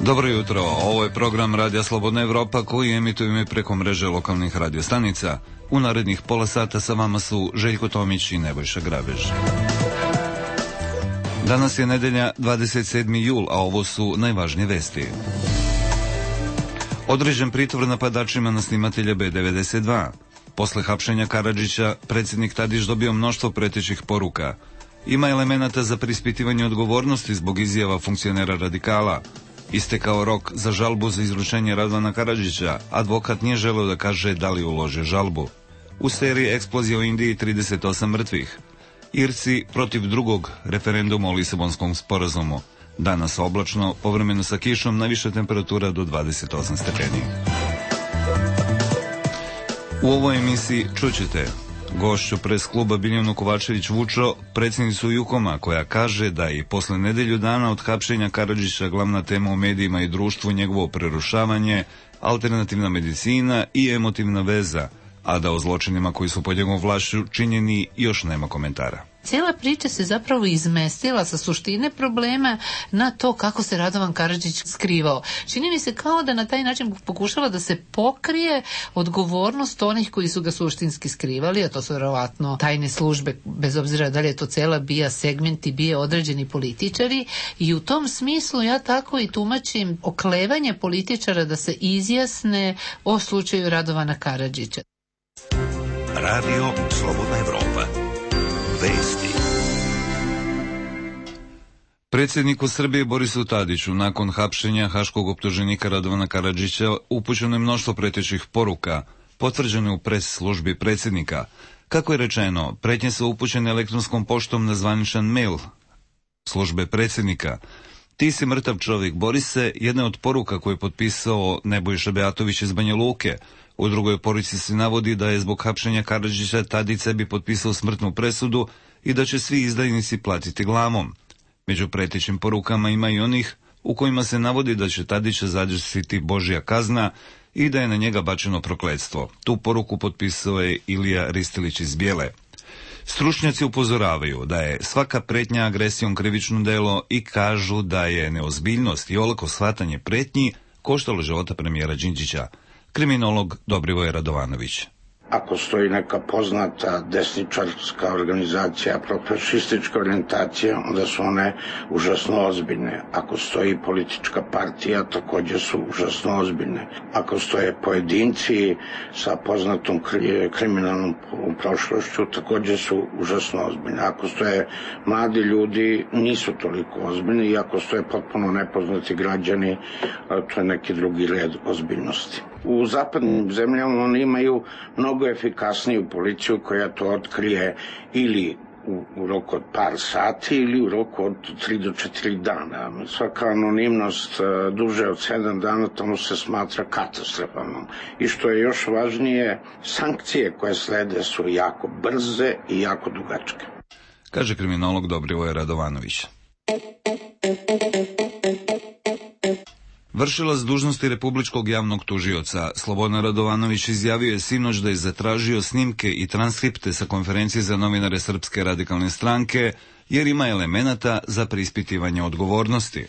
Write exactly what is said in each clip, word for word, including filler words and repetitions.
Dobro jutro, ovo je program Radija Slobodna Evropa koji emitujemo preko mreže lokalnih radiostanica. U narednih pola sata sa vama su Željko Tomić i Nebojša Grabež. Danas je nedelja dvadeset sedmi jul, a ovo su najvažnije vesti. Određen pritvor napadačima na snimatelja B devedeset dva. Posle hapšenja Karadžića, predsjednik Tadić dobio mnoštvo pretećih poruka. Ima elemenata za preispitivanje odgovornosti zbog izjava funkcionera radikala. Istekao rok za žalbu za izručenje Radovana Karadžića, advokat nije želeo da kaže da li ulože žalbu. U seriji eksplozija u Indiji trideset osam mrtvih. Irci protiv drugog referenduma o Lisabonskom sporazumu. Danas oblačno, povremeno sa kišom, najviša temperatura do dvadeset osam stepeni. U ovoj emisiji čućete gošću pres kluba Biljanu Kovačević Vučo, predsjednicu Jukoma, koja kaže da je posle nedelju dana od hapšenja Karadžića glavna tema u medijima i društvu njegovo prerušavanje, alternativna medicina i emotivna veza, a da o zločinima koji su pod njegovom vlašću činjeni još nema komentara. Cijela priča se zapravo izmestila sa suštine problema na to kako se Radovan Karadžić skrivao. Čini mi se kao da na taj način pokušava da se pokrije odgovornost onih koji su ga suštinski skrivali, a to su vjerovatno tajne službe, bez obzira da li je to cela bija segment i bije određeni političari, i u tom smislu ja tako i tumačim oklevanje političara da se izjasne o slučaju Radovana Karadžića. Radio Slobodna Evropa. Vesti. Predsjedniku Srbije Borisu Tadiću nakon hapšenja haškog optuženika Radovana Karadžića upućeno je mnoštvo pretećih poruka, potvrđene u pres službi predsjednika. Kako je rečeno, pretnje su upućene elektronskom poštom na zvaničan mail službe predsjednika. Ti si mrtav čovjek, Borise, jedna od poruka koje je potpisao Nebojša Beatović iz Banja Luke. U drugoj poruci se navodi da je zbog hapšenja Karadžića Tadić sebi potpisao smrtnu presudu i da će svi izdajnici platiti glavom. Među pretećim porukama ima i onih u kojima se navodi da će Tadića zadesiti Božja kazna i da je na njega bačeno prokletstvo. Tu poruku potpisao je Ilija Ristilić iz Bijele. Stručnjaci upozoravaju da je svaka pretnja agresijom krivično delo i kažu da je neozbiljnost i olako shvatanje pretnji koštalo života premijera Đinđića. Kriminolog Dobrivoje Radovanović. Ako stoji neka poznata desničarska organizacija, profašistička orijentacija, onda su one užasno ozbiljne. Ako stoji politička partija, također su užasno ozbiljne. Ako stoje pojedinci sa poznatom kriminalnom prošlošću, također su užasno ozbiljne. Ako stoje mladi ljudi, nisu toliko ozbiljni, i ako stoje potpuno nepoznati građani, to je neki drugi red ozbiljnosti. U zapadnim zemljama oni imaju mnogo efikasniju policiju koja to otkrije ili u, u roku od par sati ili u roku od tri do četiri dana. Svaka anonimnost duže od sedam dana tamo se smatra katastrofalnom. I što je još važnije, sankcije koje slede su jako brze i jako dugačke. Kaže kriminolog Dobrivoje Radovanović. Vršilac dužnosti republičkog javnog tužioca Slobodan Radovanović izjavio je sinoć da je zatražio snimke i transkripte sa konferencije za novinare Srpske radikalne stranke jer ima elemenata za preispitivanje odgovornosti.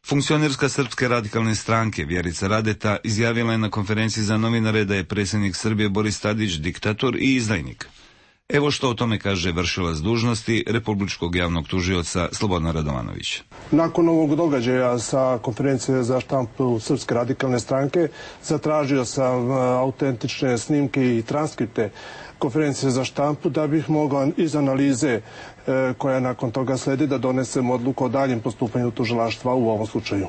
Funkcionerska Srpske radikalne stranke Vjerica Radeta izjavila je na konferenciji za novinare da je predsjednik Srbije Boris Tadić diktator i izdajnik. Evo što o tome kaže vršilac dužnosti republičkog javnog tužioca Slobodan Radovanović. Nakon ovog događaja sa konferencije za štampu Srpske radikalne stranke zatražio sam autentične snimke i transkripte konferencije za štampu da bih mogao iz analize koja nakon toga sledi da donesem odluku o daljem postupanju tužilaštva u ovom slučaju.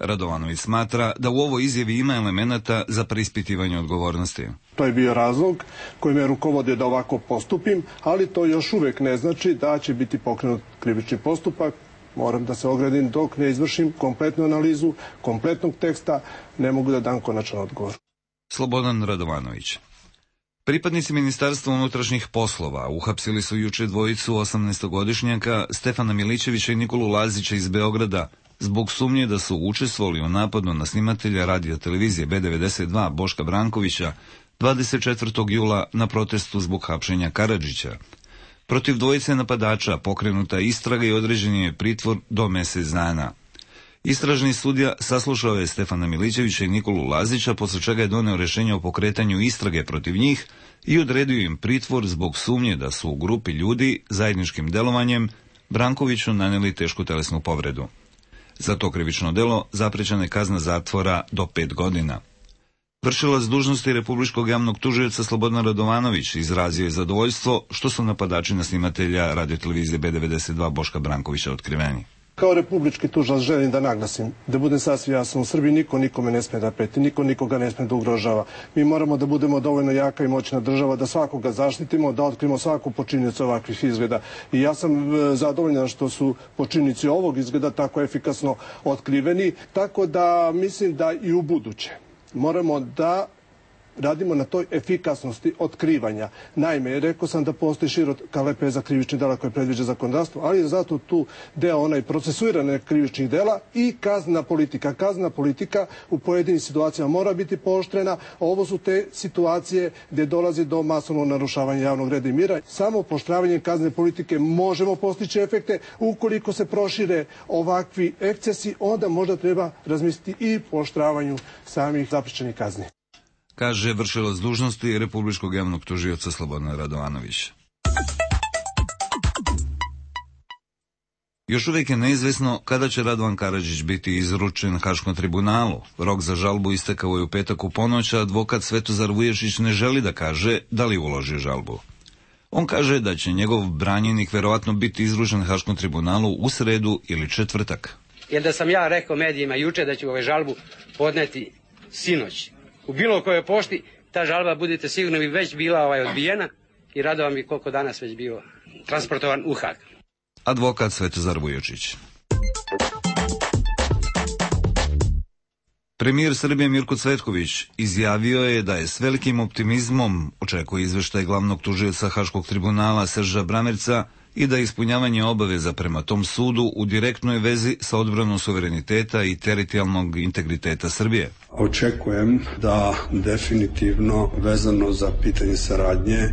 Radovanović smatra da u ovoj izjavi ima elemenata za preispitivanje odgovornosti. To je bio razlog koji me rukovodio da ovako postupim, ali to još uvek ne znači da će biti pokrenut krivični postupak. Moram da se ogradim dok ne izvršim kompletnu analizu, kompletnog teksta, ne mogu da dam konačan odgovor. Slobodan Radovanović. Pripadnici Ministarstva unutrašnjih poslova uhapsili su juče dvojicu osamnaestogodišnjaka Stefana Milićevića i Nikolu Lazića iz Beograda zbog sumnje da su učestvovali u napadu na snimatelja radio televizije B devedeset dva Boška Brankovića dvadeset četvrtog jula na protestu zbog hapšenja Karadžića. Protiv dvojice napadača pokrenuta istraga i određen je pritvor do mjesec dana. Istražni sudija saslušao je Stefana Milićevića i Nikolu Lazića, posle čega je doneo rješenje o pokretanju istrage protiv njih i odredio im pritvor zbog sumnje da su u grupi ljudi zajedničkim delovanjem Brankoviću nanijeli tešku telesnu povredu. Za to krivično delo zaprećena je kazna zatvora do pet godina. Vršilac dužnosti Republičkog javnog tužioca Slobodan Radovanović izrazio je zadovoljstvo što su napadači na snimatelja radiotelevizije B devedeset dva Boška Brankovića otkriveni. Kao republički tužilac želim da naglasim, da budem sasvim jasan, u Srbiji niko nikome ne sme da preti, niko nikoga ne sme da ugrožava. Mi moramo da budemo dovoljno jaka i moćna država, da svakoga zaštitimo, da otkrimo svaku počinioca ovakvih izgleda. I ja sam zadovoljan što su počinioci ovog izgleda tako efikasno otkriveni, tako da mislim da i u buduće moramo da radimo na toj efikasnosti otkrivanja. Naime, rekao sam da postoji široka lepeza krivičnih dela koje predviđa zakonodavstvo, ali je zato tu deo onaj procesuirane krivičnih dela i kaznena politika. Kaznena politika u pojedinim situacijama mora biti pooštrena. Ovo su te situacije gdje dolazi do masovnog narušavanja javnog reda i mira. Samo pooštravanjem kaznene politike možemo postići efekte. Ukoliko se prošire ovakvi ekscesi, onda možda treba razmisliti i pooštravanju samih zaprećenih kazni, kaže vršilac dužnosti Republičkog javnog tužioca Slobodan Radovanović. Još uvijek je neizvesno kada će Radovan Karadžić biti izručen Haškom tribunalu. Rok za žalbu istekao je u petak u ponoć, a advokat Svetozar Vuješić ne želi da kaže da li uloži žalbu. On kaže da će njegov branjenik verovatno biti izručen Haškom tribunalu u sredu ili četvrtak. Jer da sam ja rekao medijima juče da ću ovaj žalbu podneti sinoć u bilo kojoj pošti, ta žalba, budite sigurni, bi već bila ovaj odbijena i Radovan bi koliko danas već bio transportovan u Hag. Advokat Svetozar Vuječić. Premijer Srbije Mirko Cvetković izjavio je da je s velikim optimizmom očekuje izveštaj glavnog tužioca Haškog tribunala Serža Bramerca i da je ispunjavanje obaveza prema tom sudu u direktnoj vezi sa odbranom suvereniteta i teritorijalnog integriteta Srbije. Očekujem da definitivno vezano za pitanje saradnje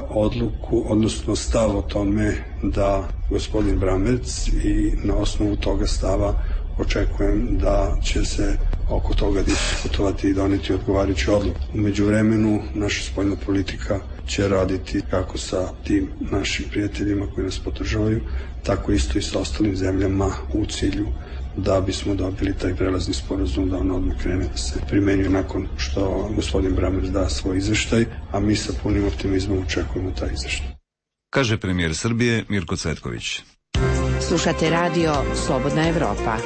odluku, odnosno stav o tome da gospodin Bramerc i na osnovu toga stava očekujem da će se oko toga diskutovati i doneti odgovarajuću odluku. U međuvremenu naša spoljna politika će raditi kako sa tim našim prijateljima koji nas podržavaju, tako isto i sa ostalim zemljama u cilju da bismo dobili taj prelazni sporazum da on odmah krene da se primenjuje nakon što gospodin Bramerc da svoj izveštaj, a mi sa punim optimizmom očekujemo taj izveštaj. Kaže premijer Srbije Mirko Cvetković. Slušate radio Slobodna Evropa.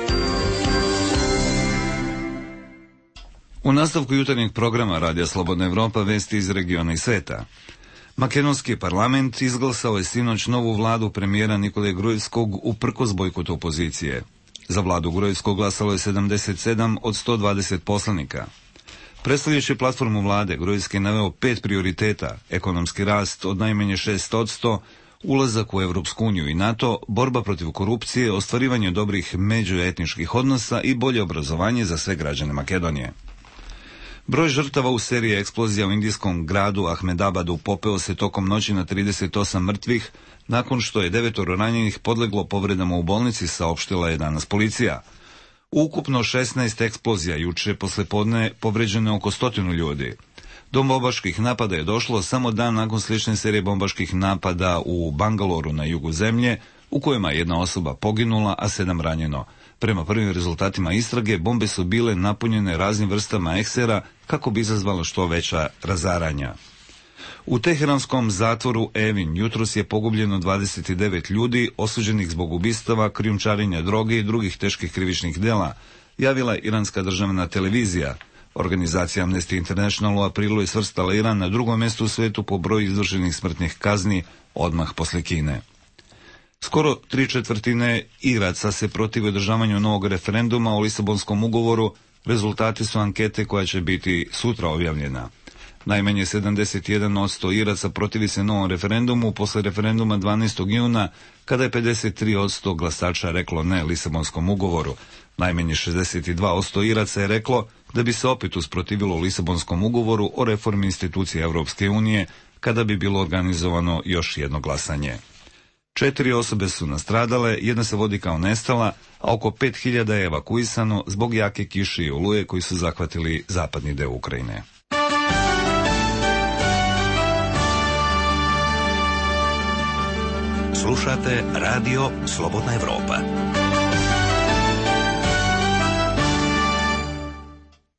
U nastavku jutarnjeg programa Radija Slobodna Evropa vesti iz regiona i sveta. Makedonski parlament izglasao je sinoć novu vladu premijera Nikole Grujevskog uprkos bojkotu opozicije. Za vladu Grujevskog glasalo je sedamdeset sedam od sto dvadeset poslanika. Predstavljajući platformu vlade, Grujevski je naveo pet prioriteta: ekonomski rast od najmanje šest posto, ulazak u Evropsku uniju i NATO, borba protiv korupcije, ostvarivanje dobrih međuetničkih odnosa i bolje obrazovanje za sve građane Makedonije. Broj žrtava u seriji eksplozija u indijskom gradu Ahmedabadu popeo se tokom noći na trideset osam mrtvih, nakon što je devetoro ranjenih podleglo povredama u bolnici, saopštila je danas policija. Ukupno šesnaest eksplozija juče poslepodne povređeno oko stotinu ljudi. Do bombaških napada je došlo samo dan nakon slične serije bombaških napada u Bangaloru na jugu zemlje, u kojima je jedna osoba poginula, a sedam ranjeno. Prema prvim rezultatima istrage, bombe su bile napunjene raznim vrstama eksera kako bi izazvalo što veća razaranja. U teheranskom zatvoru Evin jutros je pogubljeno dvadeset devet ljudi osuđenih zbog ubistava, krijumčarenja droge i drugih teških krivičnih dela, javila je iranska državna televizija. Organizacija Amnesty International u aprilu je svrstala Iran na drugom mjestu u svijetu po broju izvršenih smrtnih kazni, odmah posle Kine. Skoro tri četvrtine Iraca se protive održavanju novog referenduma o Lisabonskom ugovoru. Rezultati su ankete koja će biti sutra objavljena. Najmanje sedamdeset jedan posto Iraca protivi se novom referendumu posle referenduma dvanaestog juna, kada je pedeset tri posto glasača reklo ne Lisabonskom ugovoru. Najmanje šezdeset dva posto Iraca je reklo da bi se opet usprotivilo Lisabonskom ugovoru o reformi institucije Evropske unije kada bi bilo organizovano još jedno glasanje. Četiri osobe su nastradale, jedna se vodi kao nestala, a oko pet hiljada je evakuisano zbog jake kiše i oluje koji su zahvatili zapadni deo Ukrajine. Slušate Radio Slobodna Evropa.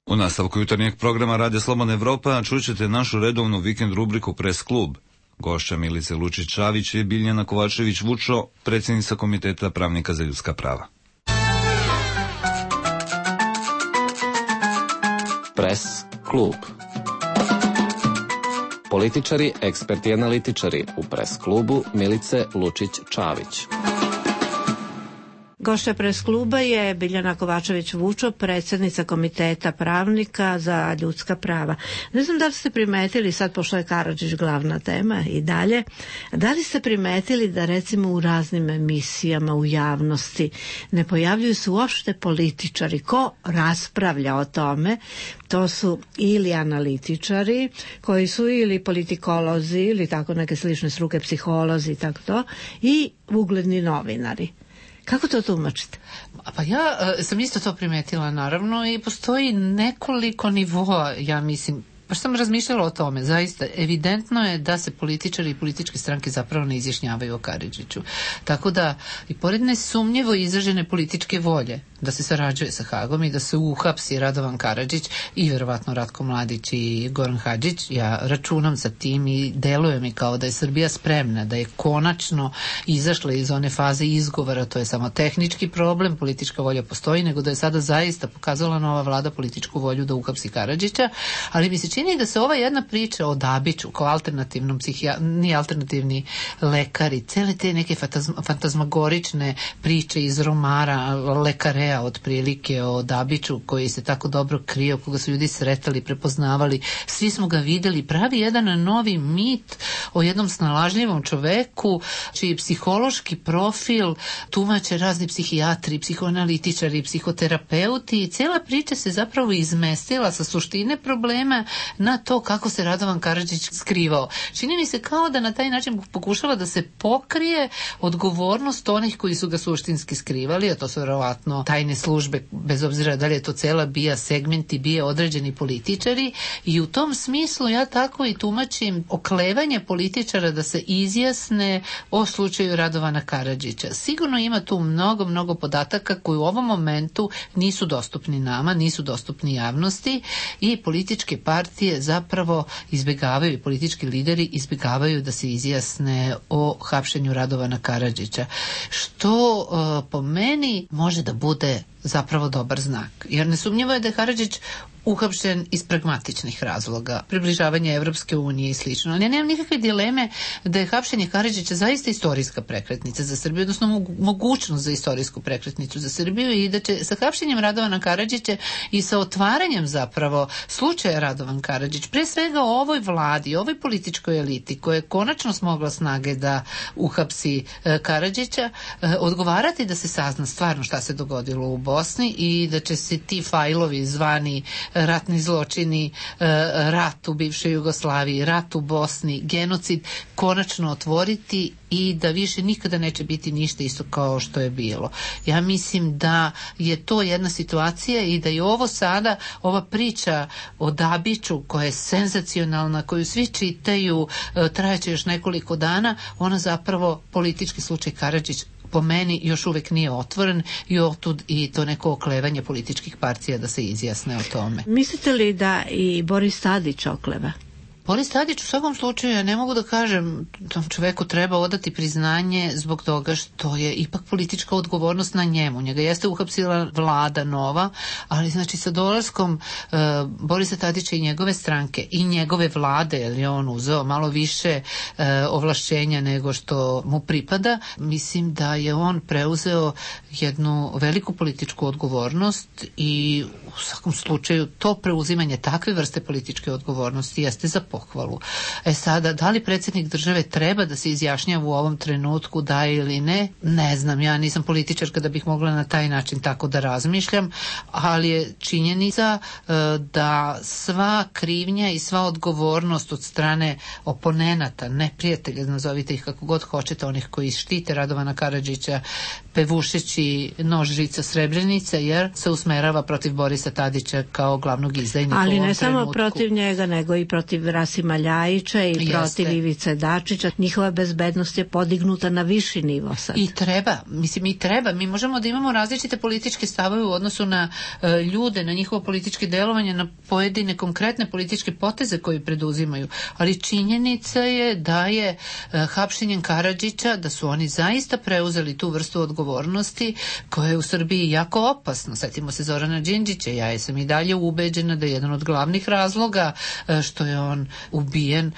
U nastavku jutarnjeg programa Radio Slobodna Evropa čućete našu redovnu vikend rubriku Pres klub. Gošća Milice Lučić-Čavić je Biljana Kovačević-Vučo, predsjednica Komiteta pravnika za ljudska prava. Pres klub. Političari, eksperti i analitičari u Pres klubu Milice Lučić-Čavić. Gošća Pres kluba je Biljana Kovačević-Vučo, predsjednica Komiteta pravnika za ljudska prava. Ne znam da li ste primetili, sad pošto je Karadžić glavna tema i dalje, da li ste primetili da recimo u raznim emisijama u javnosti ne pojavljuju se uopšte političari? Ko raspravlja o tome? To su ili analitičari koji su ili politikolozi ili tako neke slične struke, psiholozi i tako to, i ugledni novinari. Kako to tumačite? Pa ja uh, sam isto to primetila, naravno, i postoji nekoliko nivoa, ja mislim. Baš sam razmišljala o tome, zaista evidentno je da se političari i političke stranke zapravo ne izjašnjavaju o Karadžiću. Tako da, i pored nesumnjivo izražene političke volje da se sarađuje sa Hagom i da se uhapsi Radovan Karadžić i verovatno Ratko Mladić i Goran Hadžić, ja računam sa tim i deluje mi kao da je Srbija spremna, da je konačno izašla iz one faze izgovora, to je samo tehnički problem, politička volja postoji, nego da je sada zaista pokazala nova vlada političku volju da uhapsi Karadžića, ali mi se čini da se ova jedna priča o Dabiću kao alternativnom psihijatru, ni alternativni lekari, cele te neke fantazma, fantazmagorične priče iz romara lekare otprilike o Dabiću koji se tako dobro krio, koga su ljudi sretali, prepoznavali, svi smo ga videli, pravi jedan novi mit o jednom snalažljivom čoveku čiji psihološki profil tumače razni psihijatri, psihoanalitičari, psihoterapeuti i cijela priča se zapravo izmestila sa suštine problema na to kako se Radovan Karadžić skrivao. Čini mi se kao da na taj način pokušava da se pokrije odgovornost onih koji su ga suštinski skrivali, a to su verovatno tajne službe, bez obzira da li je to cela bija segmenti, bija određeni političari, i u tom smislu ja tako i tumačim oklevanje političara da se izjasne o slučaju Radovana Karadžića. Sigurno ima tu mnogo, mnogo podataka koji u ovom momentu nisu dostupni nama, nisu dostupni javnosti i političke partije zapravo izbjegavaju, i politički lideri izbjegavaju da se izjasne o hapšenju Radovana Karadžića. Što uh, po meni može da bude zapravo dobar znak. Jer nesumnjivo je da je Karadžić uhapšen iz pragmatičnih razloga, približavanje Evropske unije i slično. Ali ja nemam nikakve dileme da je hapšenje Karadžića zaista istorijska prekretnica za Srbiju, odnosno mogućnost za istorijsku prekretnicu za Srbiju, i da će sa hapšenjem Radovana Karadžića i sa otvaranjem zapravo slučaja Radovan Karadžić, pre svega o ovoj vladi, ovoj političkoj eliti koja je konačno smogla snage da uhapsi e, Karadžića, e, odgovarati da se sazna stvarno šta se dogodilo u Bosni i da će se ti fajlovi zvani ratni zločini, rat u bivšoj Jugoslaviji, rat u Bosni, genocid konačno otvoriti i da više nikada neće biti ništa isto kao što je bilo. Ja mislim da je to jedna situacija i da je ovo sada, ova priča o Dabiću koja je senzacionalna, koju svi čitaju, trajeće još nekoliko dana, ona zapravo politički slučaj Karadžić po meni još uvek nije otvoren i otud i to neko oklevanje političkih partija da se izjasne o tome. Mislite li da i Boris Tadić okleva? Boris Tadić u svakom slučaju, ja ne mogu da kažem, tom čoveku treba odati priznanje zbog toga što je ipak politička odgovornost na njemu. Njega jeste uhapsila vlada nova, ali znači sa dolaskom uh, Borisa Tadića i njegove stranke i njegove vlade, jer je on uzeo malo više uh, ovlašćenja nego što mu pripada, mislim da je on preuzeo jednu veliku političku odgovornost i u svakom slučaju to preuzimanje takve vrste političke odgovornosti jeste za pohvalu. pohvalu. E sada, da li predsjednik države treba da se izjašnjava u ovom trenutku da ili ne? Ne znam, ja nisam političarka da bih mogla na taj način tako da razmišljam, ali je činjenica e, da sva krivnja i sva odgovornost od strane oponenata, neprijatelja, nazovite ih kako god hoćete, onih koji štite Radovana Karadžića pevušeći nož žica Srebrenice, jer se usmerava protiv Borisa Tadića kao glavnog izdajnika u ovom trenutku. Ali ne samo protiv njega, nego i protiv Rasima Ljajića i Jeste. protiv Ivice Dačića. Njihova bezbednost je podignuta na viši nivo sad. I treba, mislim i treba. Mi možemo da imamo različite političke stavove u odnosu na e, ljude, na njihovo političke delovanje, na pojedine konkretne političke poteze koje preduzimaju. Ali činjenica je da je e, hapšenjem Karadžića, da su oni zaista preuzeli tu vrstu odgovornosti koja je u Srbiji jako opasno. Sjetimo se Zorana Đinđića, ja sam i dalje ubeđena da je jedan od glavnih razloga e, što je on ubijen e,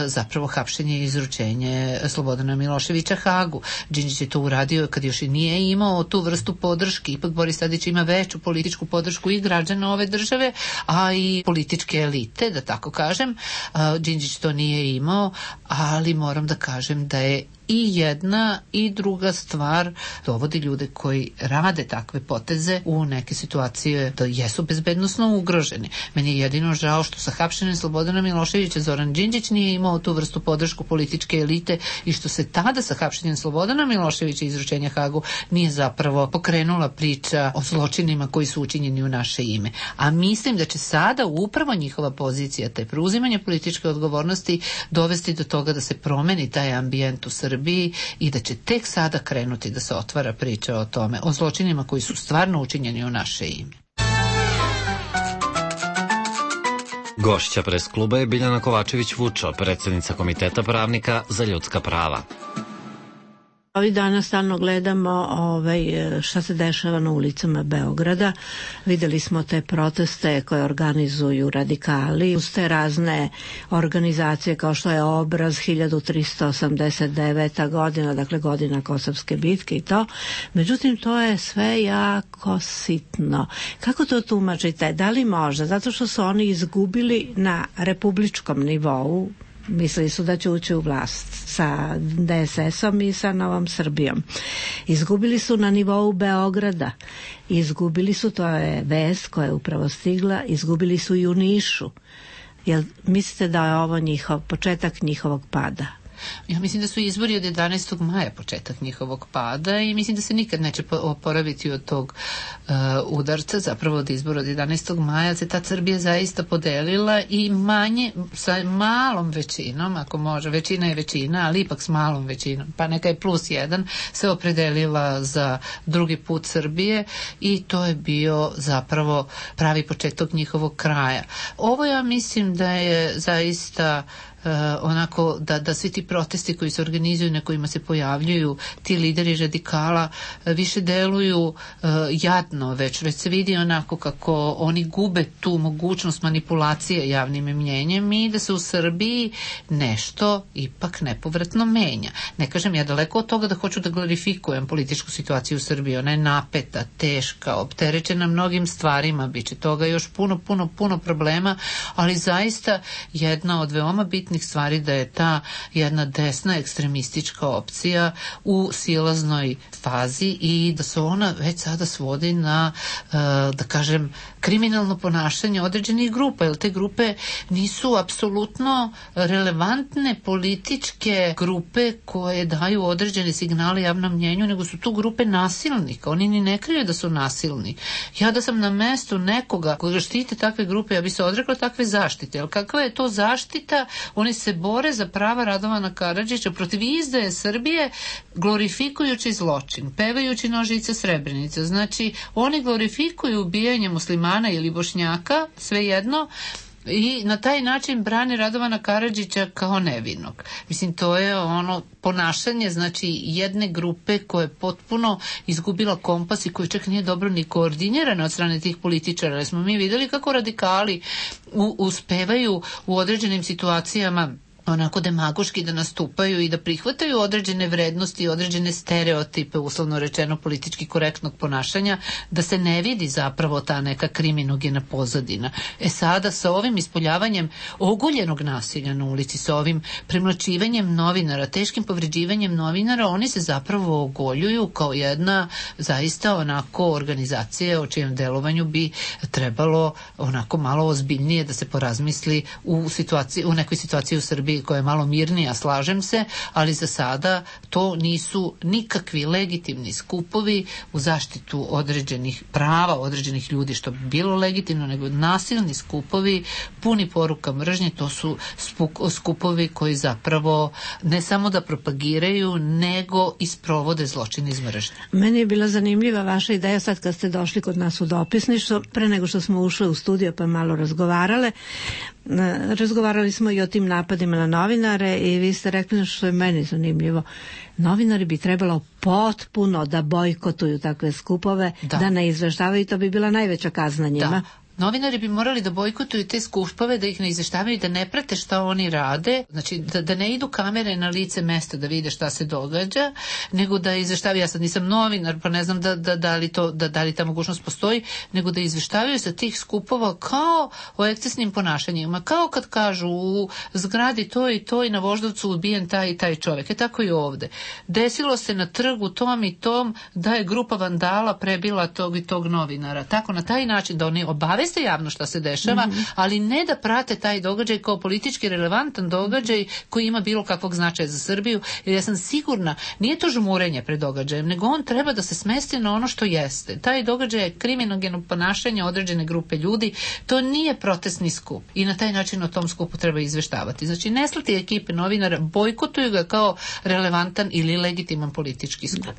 zapravo hapšenje i izručenje Slobodana Miloševića Hagu. Đinđić je to uradio kad još i nije imao tu vrstu podrške. Ipak Boris Tadić ima veću političku podršku i građana ove države, a i političke elite, da tako kažem. Đinđić to nije imao, ali moram da kažem da je i jedna i druga stvar dovodi ljude koji rade takve poteze u neke situacije da jesu bezbednosno ugroženi. Meni je jedino žao što sa hapšenjem Slobodana Miloševića Zoran Đinđić nije imao tu vrstu podršku političke elite i što se tada sa hapšenjem Slobodana Miloševića i izručenja Hagu nije zapravo pokrenula priča o zločinima koji su učinjeni u naše ime. A mislim da će sada upravo njihova pozicija, te preuzimanje političke odgovornosti dovesti do toga da se promeni taj ambijent u Srbiji i da će tek sada krenuti da se otvara priča o tome, o zločinima koji su stvarno učinjeni u naše ime. Gošća pres kluba je Biljana Kovačević-Vučo, predsjednica Komiteta pravnika za ljudska prava. Ovih dana stalno gledamo ovaj, šta se dešava na ulicama Beograda. Videli smo te proteste koje organizuju radikali uz te razne organizacije kao što je Obraz, hiljadu tristo osamdeset deveta godina, dakle godina Kosovske bitke i to. Međutim, to je sve jako sitno. Kako to tumačite? Da li možda? Zato što su oni izgubili na republičkom nivou, mislili su da će ući u vlast sa D S S-om i sa Novom Srbijom. Izgubili su na nivou Beograda, izgubili su, to je vest koja je upravo stigla, izgubili su i u Nišu. Jel mislite da je ovo njihov, početak njihovog pada? Ja mislim da su izbori od jedanaestog maja početak njihovog pada i mislim da se nikad neće oporaviti od tog uh, udarca. Zapravo od izbora od jedanaestog maja se ta Srbija zaista podelila i manje, sa malom većinom, ako može, većina je većina, ali ipak s malom većinom, pa neka je plus jedan, se opredelila za drugi put Srbije i to je bio zapravo pravi početak njihovog kraja. Ovo ja mislim da je zaista Uh, onako da, da svi ti protesti koji se organizuju, na kojima se pojavljuju ti lideri radikala uh, više deluju uh, jadno, već već se vidi onako kako oni gube tu mogućnost manipulacije javnim mnjenjem i da se u Srbiji nešto ipak nepovratno menja. Ne kažem ja daleko od toga da hoću da glorifikujem političku situaciju u Srbiji, ona je napeta, teška, opterećena mnogim stvarima, bit će toga još puno, puno, puno problema, ali zaista jedna od veoma bitnih stvari da je ta jedna desna ekstremistička opcija u silaznoj fazi i da se ona već sada svodi na, da kažem, kriminalno ponašanje određenih grupa, jer te grupe nisu apsolutno relevantne političke grupe koje daju određene signale javnom mnjenju, nego su tu grupe nasilnika. Oni ni ne kriju da su nasilni. Ja da sam na mestu nekoga koga štite takve grupe, ja bi se odrekla takve zaštite. Ali kakva je to zaštita? Oni se bore za prava Radovana Karadžića protiv izdaje Srbije, glorifikujući zločin, pevajući nožice Srebrenice. Znači, oni glorifikuju ubijanje muslimana ili Bošnjaka, svejedno, i na taj način brane Radovana Karadžića kao nevinog. Mislim, to je ono ponašanje, znači, jedne grupe koja je potpuno izgubila kompas i koja čak nije dobro ni koordinirana od strane tih političara. Ali smo mi videli kako radikali u, uspevaju u određenim situacijama onako demagoški da nastupaju i da prihvataju određene vrednosti i određene stereotipe, uslovno rečeno politički korektnog ponašanja, da se ne vidi zapravo ta neka kriminogena pozadina. E sada sa ovim ispoljavanjem oguljenog nasilja na ulici, sa ovim premlačivanjem novinara, teškim povređivanjem novinara, oni se zapravo ogoljuju kao jedna zaista onako organizacija o čijem delovanju bi trebalo onako malo ozbiljnije da se porazmisli u situaciji, u nekoj situaciji u Srbiji koja je malo mirnija, slažem se, ali za sada to nisu nikakvi legitimni skupovi u zaštitu određenih prava, određenih ljudi, što bi bilo legitimno, nego nasilni skupovi puni poruka mržnje. To su skupovi koji zapravo ne samo da propagiraju, nego i sprovode zločin iz mržnje. Meni je bila zanimljiva vaša ideja sad kad ste došli kod nas u dopisništvo, pre nego što smo ušli u studio pa malo razgovarale. Razgovarali smo i o tim napadima na novinare i vi ste rekli što je meni zanimljivo. Novinari bi trebalo potpuno da bojkotuju takve skupove, da, da ne izveštavaju, to bi bila najveća kazna njima. Da. Novinari bi morali da bojkotuju te skupove, da ih ne izveštavaju, da ne prate šta oni rade, znači da, da ne idu kamere na lice mesta da vide šta se događa, nego da izveštavaju, ja sad nisam novinar pa ne znam da, da, da, li to, da, da li ta mogućnost postoji, nego da izveštavaju sa tih skupova kao o ekscesnim ponašanjima, kao kad kažu u zgradi to i to i na Voždovcu ubijen taj i taj čovjek. E tako i ovde. Desilo se na trgu tom i tom da je grupa vandala prebila tog i tog novinara. Tako na taj način da oni obave ste javno šta se dešava, mm-hmm. ali ne da prate taj događaj kao politički relevantan događaj koji ima bilo kakvog značaja za Srbiju, jer ja sam sigurna, nije to žmurenje pred događajem, nego on treba da se smesti na ono što jeste. Taj događaj je kriminogeno ponašanje određene grupe ljudi, to nije protestni skup i na taj način o tom skupu treba izveštavati. Znači, ne slati ekipe novinara, bojkotuju ga kao relevantan ili legitiman politički skup.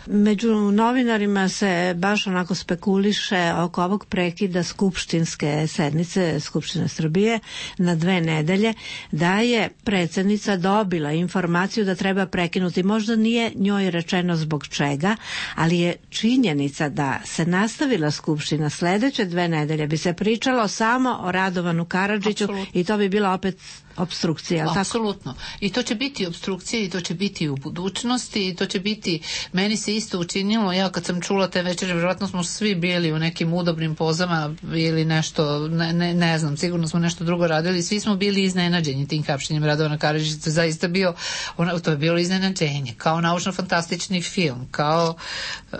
Među novinarima se baš onako spekuliše oko ovog prekida skupštinske sednice Skupštine Srbije na dve nedelje, da je predsjednica dobila informaciju da treba prekinuti. Možda nije njoj rečeno zbog čega, ali je činjenica da se nastavila Skupština sledeće dve nedelje bi se pričalo samo o Radovanu Karadžiću. Absolutno. I to bi bila opet opstrukcija. Apsolutno. I to će biti opstrukcija i to će biti u budućnosti i to će biti, meni se isto učinilo, ja kad sam čula te večere, vjerojatno smo svi bili u nekim udobnim pozama ili nešto, ne, ne, ne znam, sigurno smo nešto drugo radili, svi smo bili iznenađeni tim hapšenjem Radovana Karadžića, to je zaista bio, ono, to je bilo iznenađenje, kao naučno-fantastični film, kao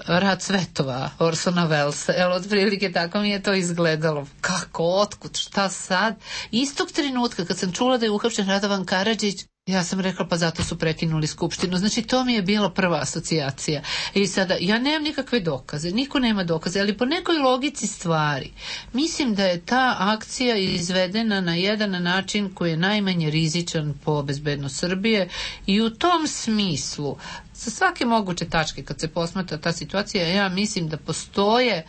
Rad svetova Orsona Wellesa, evo, otprilike tako mi je to izgledalo. Kako, otkud, šta sad? Istog trenutka kad sam čula da je uhapšen Radovan Karadžić, ja sam rekla pa zato su prekinuli skupštinu. Znači to mi je bila prva asocijacija. I sada ja nemam nikakve dokaze, niko nema dokaze, ali po nekoj logici stvari mislim da je ta akcija izvedena na jedan način koji je najmanje rizičan po bezbednost Srbije i u tom smislu sa svake moguće tačke kad se posmatra ta situacija, ja mislim da postoje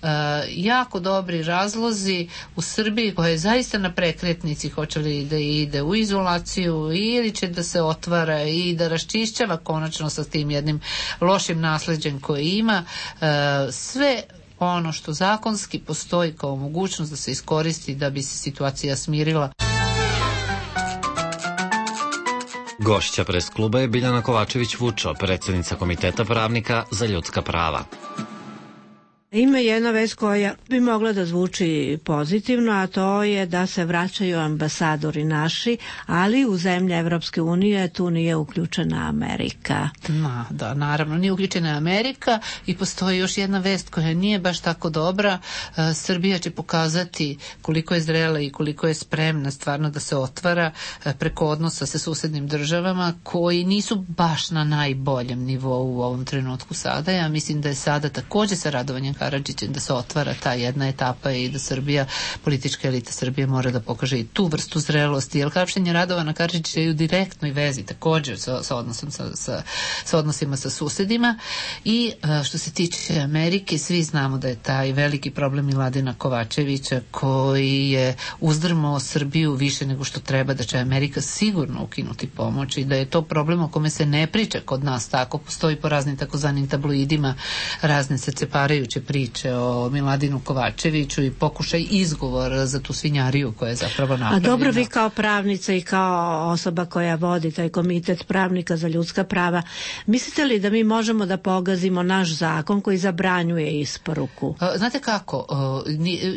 uh, jako dobri razlozi u Srbiji koja je zaista na prekretnici, hoće li da ide u izolaciju ili će da se otvara i da raščišćava konačno sa tim jednim lošim nasleđem koje ima. Uh, sve ono što zakonski postoji kao mogućnost da se iskoristi da bi se situacija smirila. Gošća pres kluba je Biljana Kovačević-Vučo, predsjednica Komiteta pravnika za ljudska prava. Ima jedna vest koja bi mogla da zvuči pozitivno, a to je da se vraćaju ambasadori naši, ali u zemlje Evropske unije tu nije uključena Amerika. Ma, da, naravno, nije uključena Amerika i postoji još jedna vest koja nije baš tako dobra. E, Srbija će pokazati koliko je zrela i koliko je spremna stvarno da se otvara e, preko odnosa sa susednim državama koji nisu baš na najboljem nivou u ovom trenutku sada. Ja mislim da je sada takođe sa Radovanjem Karadžićem da se otvara ta jedna etapa i da Srbija, politička elita Srbije mora da pokaže i tu vrstu zrelosti, jer hapšenje Radovana Karadžića je u direktnoj vezi također sa, sa, odnosom, sa, sa, sa odnosima sa susedima. I što se tiče Amerike, svi znamo da je taj veliki problem Miladina Kovačevića koji je uzdrmao Srbiju više nego što treba, da će Amerika sigurno ukinuti pomoć i da je to problem o kome se ne priča kod nas, tako postoji po raznim takozvanim tabloidima razne srceparajuće priče o Miladinu Kovačeviću i pokušaj izgovora za tu svinjariju koja je zapravo napravljena. A dobro, vi kao pravnica i kao osoba koja vodi taj komitet pravnika za ljudska prava, mislite li da mi možemo da pogazimo naš zakon koji zabranjuje isporuku? Znate kako,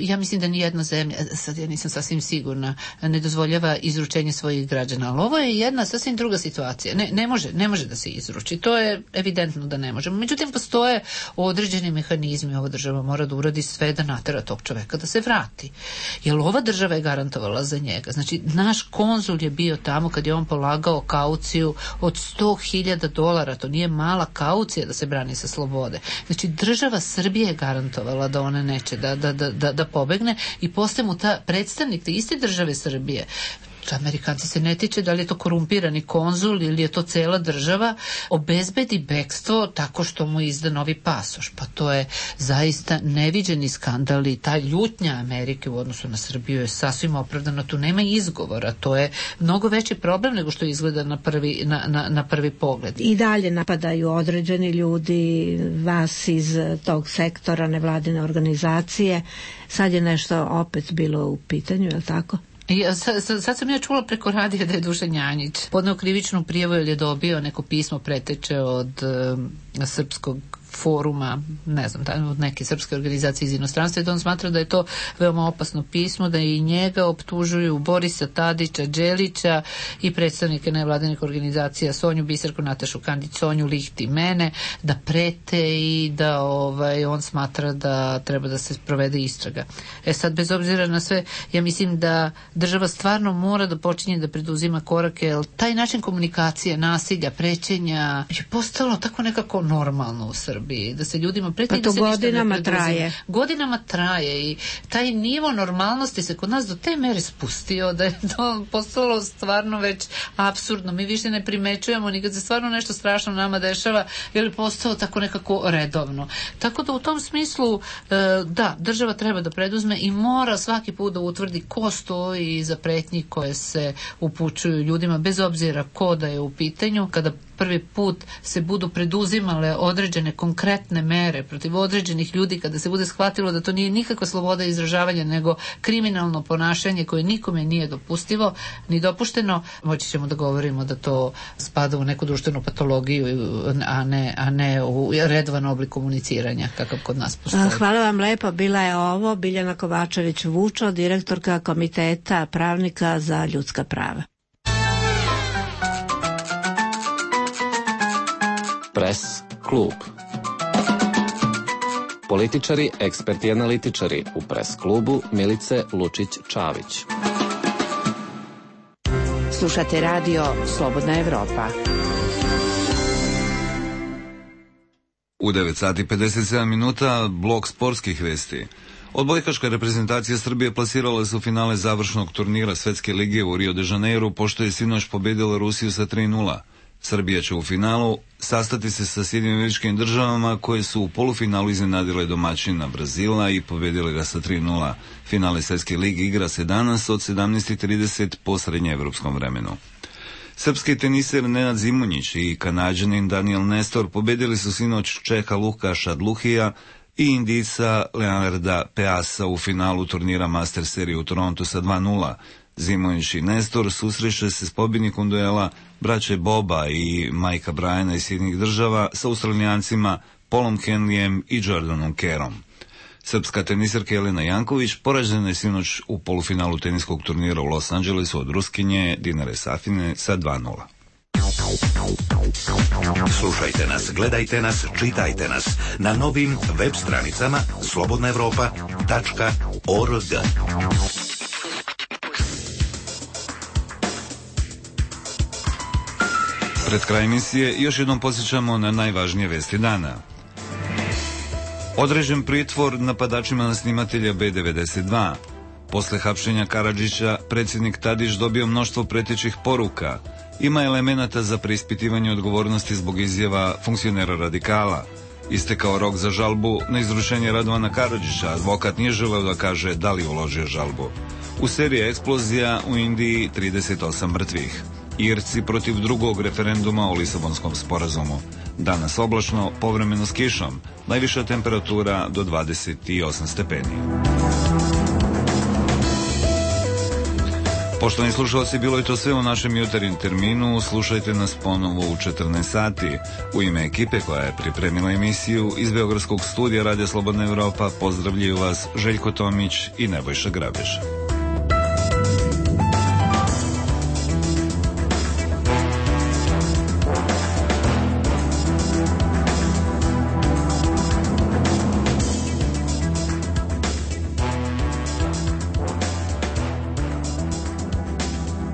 ja mislim da nijedna zemlja, sad ja nisam sasvim sigurna, ne dozvoljava izručenje svojih građana, ali ovo je jedna sasvim druga situacija. Ne, ne može, ne može da se izruči, to je evidentno da ne možemo. Međutim, postoje određeni mehanizmi, ova država mora da uradi sve da natera tog čoveka da se vrati. Jer ova država je garantovala za njega. Znači, naš konzul je bio tamo kad je on polagao kauciju od sto hiljada dolara, to nije mala kaucija da se brani sa slobode. Znači, država Srbije je garantovala da ona neće da, da, da, da, da pobegne i postaje mu ta predstavnik te iste države Srbije. Amerikanci se ne tiče da li je to korumpirani konzul ili je to cela država, obezbedi bekstvo tako što mu izda novi pasoš. Pa to je zaista neviđeni skandal i ta ljutnja Amerike u odnosu na Srbiju je sasvim opravdana. Tu nema izgovora. To je mnogo veći problem nego što izgleda na prvi, na, na, na prvi pogled. I dalje napadaju određeni ljudi, vas iz tog sektora, nevladine organizacije. Sad je nešto opet bilo u pitanju, je li tako? I sad, sad sam ja čula preko radija da je Dušan Janjić podneo krivičnu prijavu jer je dobio neko pismo preteče od uh, srpskog foruma, ne znam, od neke srpske organizacije iz inostranstva i da on smatra da je to veoma opasno pismo, da i njega optužuju Borisa Tadića, Đelića i predstavnike nevladinih organizacija Sonju Biserku, Natašu Kandić, Sonju Lihti, mene, da prete i da ovaj, on smatra da treba da se provede istraga. E sad, bez obzira na sve, ja mislim da država stvarno mora da počinje da preduzima korake, jer taj način komunikacije, nasilja, prećenja je postalo tako nekako normalno u Srbiji. Da se ljudima preti pa da se godinama ništa ne traje. Godinama traje i taj nivo normalnosti se kod nas do te mere spustio da je to postalo stvarno već apsurdno. Mi više ne primećujemo ni kad se stvarno nešto strašno nama dešava, jer je postao tako nekako redovno. Tako da u tom smislu da, država treba da preduzme i mora svaki put da utvrdi ko stoji iza pretnji koje se upućuju ljudima, bez obzira ko da je u pitanju. Kada prvi put se budu preduzimale određene konkretne mere protiv određenih ljudi, kada se bude shvatilo da to nije nikakva sloboda izražavanja nego kriminalno ponašanje koje nikome nije dopustivo ni dopušteno, moći ćemo da govorimo da to spada u neku društvenu patologiju, a ne, a ne u redovan oblik komuniciranja kakav kod nas postoji. Hvala vam lepo. Bila je ovo Biljana Kovačević-Vučo, direktorka Komiteta pravnika za ljudska prava. Pres klub. Političari, eksperti i analitičari u Pres klubu Milice Lučić-Čavić. Slušate radio Slobodna Evropa. U devet sati pedeset sedam minuta blok sportskih vesti. Odbojkaška reprezentacija Srbije plasirala se u finale završnog turnira Svetske lige u Rio de Janeiru, pošto je sinoć pobedila Rusiju sa tri nula. Srbija će u finalu sastati se sa Sjedinjenim Američkim Državama koje su u polufinalu iznenadile domaćina Brazila i pobedile ga sa tri nula. Finale Svetske lige igra se danas od sedamnaest trideset po srednjeevropskom vremenu. Srpski teniser Nenad Zimonjić i Kanađanin Daniel Nestor pobedili su sinoć Čeha Lukaša Dluhija i Indijca Leonarda Peasa u finalu turnira Master serije u Torontu sa dva nula. Zimonjić i Nestor susreće se s pobjednikom duela braće Boba i Majka Bryana iz Sjedinjenih Država sa Australijancima Paulom Henleyem i Jordanom Kerrom. Srpska teniserka Jelena Janković poražena je sinoć u polufinalu teniskog turnira u Los Angelesu od Ruskinje Dinare Safine sa dva nula. Slušajte nas, gledajte nas, čitajte nas na novim web stranicama slobodna evropa tačka org. Pred kraj emisije još jednom podsjećamo na najvažnije vesti dana. Određen pritvor napadačima na snimatelja B devedeset dva. Posle hapšenja Karadžića, predsjednik Tadić dobio mnoštvo pretećih poruka. Ima elemenata za preispitivanje odgovornosti zbog izjava funkcionera radikala. Istekao rok za žalbu na izručenje Radovana Karadžića, advokat nije želeo da kaže da li uložio žalbu. U seriji eksplozija u Indiji trideset osam mrtvih. Irci protiv drugog referenduma o Lisabonskom sporazumu. Danas oblačno, povremeno s kišom. Najviša temperatura do dvadeset osam stepeni. Poštovani slušalci, bilo je to sve u našem jutarnjem terminu. Slušajte nas ponovo u četrnaest sati. U ime ekipe koja je pripremila emisiju iz Beogradskog studija Radija Slobodna Evropa pozdravljaju vas Željko Tomić i Nebojša Grabež.